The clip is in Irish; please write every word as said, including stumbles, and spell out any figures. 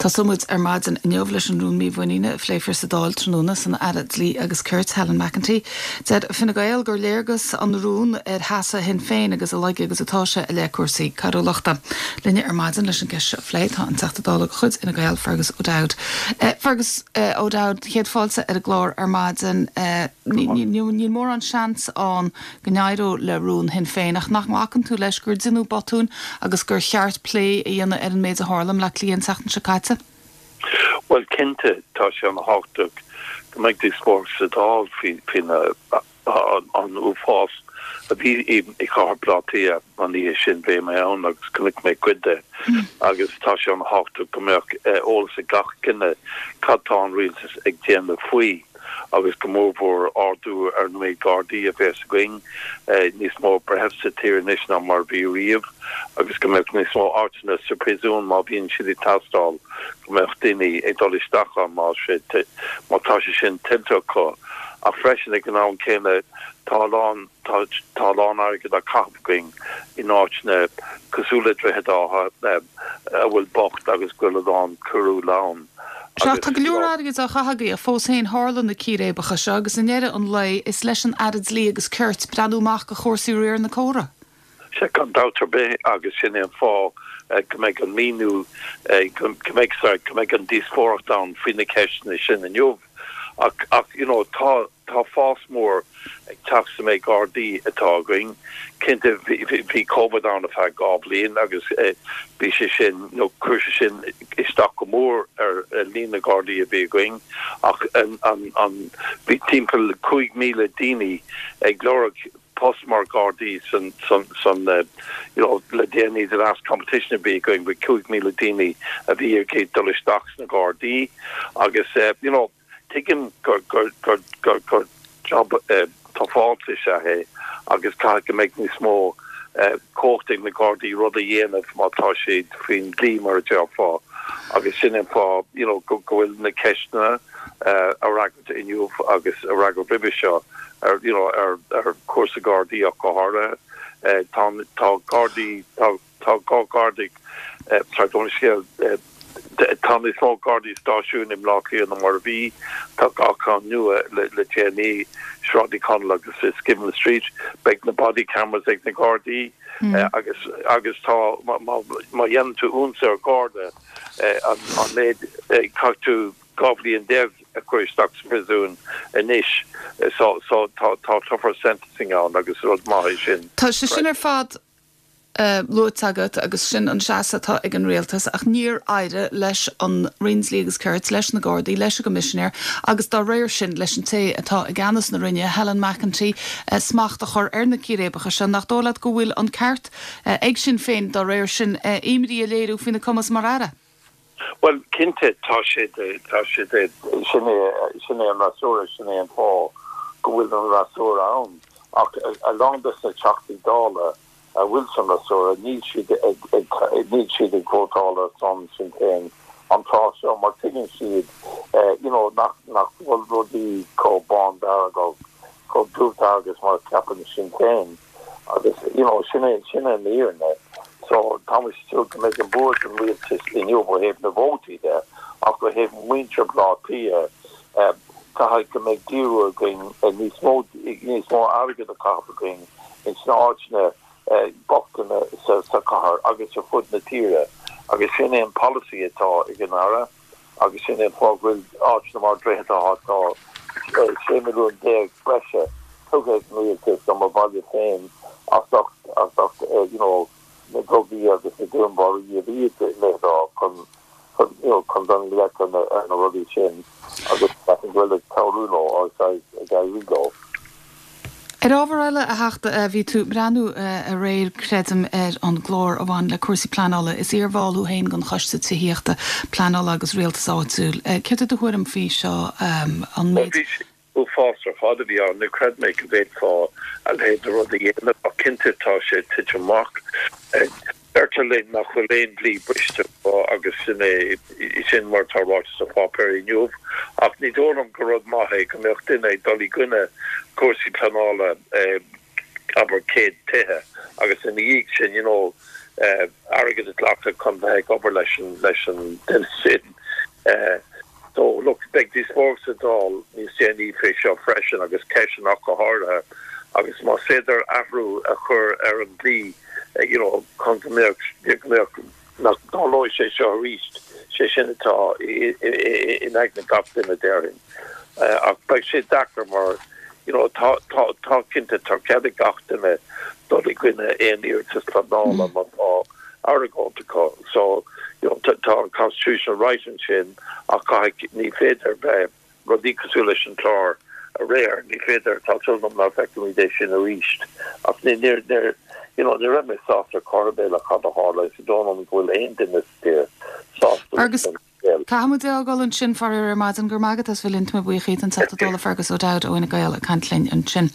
Tosóidh muid ar maidin inniu leis an rún mímhuiníne a phléifear sa Dáil tráthnóna san Aire Dlí agus Cirt Helen McEntee. Deir Fine Gael gur léargas an rún ar sheasamh Shinn Féin agus a laige agus atá sé i leith cúrsaí coiriúlachta. Linne ar maidin leis an gceist seo a phlé tá an Teachta Dála de chuid Fhine Gael Fergus O'Dowd. Uh, Fergus uh, O'Dowd céad fáilte ar an gclár ar maidin uh, níl mórán seans ann go n-éireoidh le rún Shinn Féin ach nach nglacann tú leis gur deineadh botún agus gur cheart plé a dhéanamh ar an méid a tharla i mBleá Cliath an tseachtain seo caite? Well cinnte tá sé an-tábhachtach go mbeidh díospóireacht sa Dáil faoin an uafás a bhí i gcathair Bhaile Átha Cliath an oíche sin bhí mé ann agus chonaic mé cuid de agus tá sé an-tábhachtach go mbeadh eolas ag gach duine cad tá an rialtas ag déanamh faoi agus go mórmhór ardú ar na méid gardaí a bheas againn níos mó breithimh sa tír anois ná mar bhí riamh agus go mbeadh níos mó áiteanna sa phríosún má bhíonn siad ag teastáil go mbeadh daoine ag dul isteach ann má má tá sé sin tuillte acu ach freisin ag an am céanna tá lán tá lán airgead á chaitheamh againn in áiteanna cosúil le Droichead Átha a bhfuil bocht agus go bhfuil a lán coiriúil ann. Sea tá go leor airgead á chaitheamh fós féin tharla na círéibeacha seo agus i ndeireadh an lae is leis an Aire Dlí agus Cirt breathnú amach do chúrsaí riar na córa. Sea gan dabht ar bith agus sin an fáth go mbeidh an míniú go mbeidh go mbeidh an díospóireacht ann faoi na ceisteanna sin inniu ach ach you know tá tá fás mór ag teacht sa méid gardaí atá againn cinnte bhí COVID ann ar feadh dhá bhliain agus bhí sé sin nó chuir sé sin isteach go mór ar líon na gardaí a bhí againn ach an an an bhí timpeall cúig míle daoine ag lorg post mar gardaí san san san uh, you know le déanaí the last competition a bhí againn bhí cúig míle daoine a bhí ag dul isteach sna gardaí agus uh, you know tuigim gur gur gur gur gur job uh, tá sé é agus caithfidh go mbeidh níos mó uh, cumhacht ag na gardaí rud a dhéanamh má tá siad faoin dlí mar a déarfá agus sin an fáth you know go bhfuil na ceisteanna uh, a fhreagairt inniu agus a fhreagairt roimhe seo ar you know ar ar cúrsaí gardaí ach go háirithe uh, tá tá gardaí tá tá gá gardaí uh, scéal uh, tá níos mó gardaí stáisiún i mBleá Cliath ná mar bhí tá dhá cheann nua le le déanaí Sráid Uí Chonaill agus Skiven Street beidh na body cameras ag na gardaí mm. uh, agus agus tá má dhéanann tú ionsaí ar garda uh, an an méid uh, caithfidh tú dhá bhliain déag a chur isteach sa phríosún anois so so tá tá tougher sentencing ann agus rud maith sin. Tá sé sin ar fad uh, luaite agat agus sin an seasamh atá ag an rialtas ach níor éirigh leis an Roinn Dlí agus Cirt leis na Gardaí leis an gcoimisinéir agus dá réir sin leis an té atá i gceannas na Roinne Helen McEntee uh, smacht a chur ar na círéibeacha sin nach dóigh leat go bhfuil an ceart uh, ag Sinn Féin dá réir sin uh, imní a léiriú faoina cumas mar aire. Well cinnte tá sé tá sé sin sin é an freasúra sin é an fáth go bhfuil an freasúra ann ach a lán de na Teachtaí Dála a bhfuil san fhreasúra níl siad níl siad ag vótáil ar son Sinn Féin an tráth seo mar tuigeann siad you know nach nach bhfuil rudaí chomh bándearg chomh dubh agus mar ceapann Sinn Féin agus you know sin é sin an fhírinne so tá tú go mbeidh an bua ag an rialtas inniu ó thaobh na vótaí de ach ó thaobh muintir Bhleá Cliath caithfidh go mbeidh díriú againn níos mó níos mó airgead a chaitheamh againn in sna háiteanna bochta sa sa chathair agus ar fud na tíre agus sin é an policy atá ag an Aire agus sin é fáth go bhfuil áiteanna mar Droichead Átha tá sé milliún déag breise tugtha ag an rialtas do mo bhaile féin as ucht as ucht you know na drugaí agus na dúnmharuithe a bhí le chun chun you know chun dul i ngleic na na rudaí sin agus go bhfuil ag cabhrú leo agus ag éirí leo. Ar ábhar eile a Theachta bhí tú ag breathnú aréir creidim ar an gclár a bhain le cúrsaí pleanála is iarbhall thú féin den choiste tithíochta pleanála agus rialtas áitiúil. Céard é do thuairim faoi seo an méid? Uafás ar fad a bhí ann níor chreid mé go bhféadfá a leithéid de rud a dhéanamh ach cinnte tá sé tite amach. Deirtear linn nach bhfuil aon dlí briste agus sin é sin mar tá ráite sa pháipéar inniu ach ní dóigh liom gur rud maith é go mbeadh duine ag dul i gcoinne cúrsaí pleanála abair céad tithe agus ina dhiaidh sin you know airgead a ghlacadh chun bheith ag obair leis an leis an duine sin Uh, so look beidh díospóireacht sa Dáil níos déanaí fé seo freisin agus ceisteanna go háirithe agus más féidir athrú a chur ar an dlí eh, you know chun go mbeadh nach dtarlóidh sé seo arís sé sin atá in aigne gach duine déarfainn. Uh, ach beidh sé deacair mar you know tá tá tá cinnte tá cead ag gach duine dul i gcoinne aon iarratas pleanála má tá argóint acu so you know tá an constitutional right ansin ach caithfidh ní féidir bheith rudaí cosúil leis an chlár aréir ní féidir tá súil agam nach bhfeicfimid é sin arís ach ní ní you know ní raibh mé sásta chor ar bith le cad a tharla is dóigh liom go bhfuil aon duine sásta Agus Caithfimid é a fhágáil ansin faraor ar maidin go magat as bhfuil inta buíochas an Teachta Dála Fergus O'Dowd ó Fhine Gael ag caint linn ansin.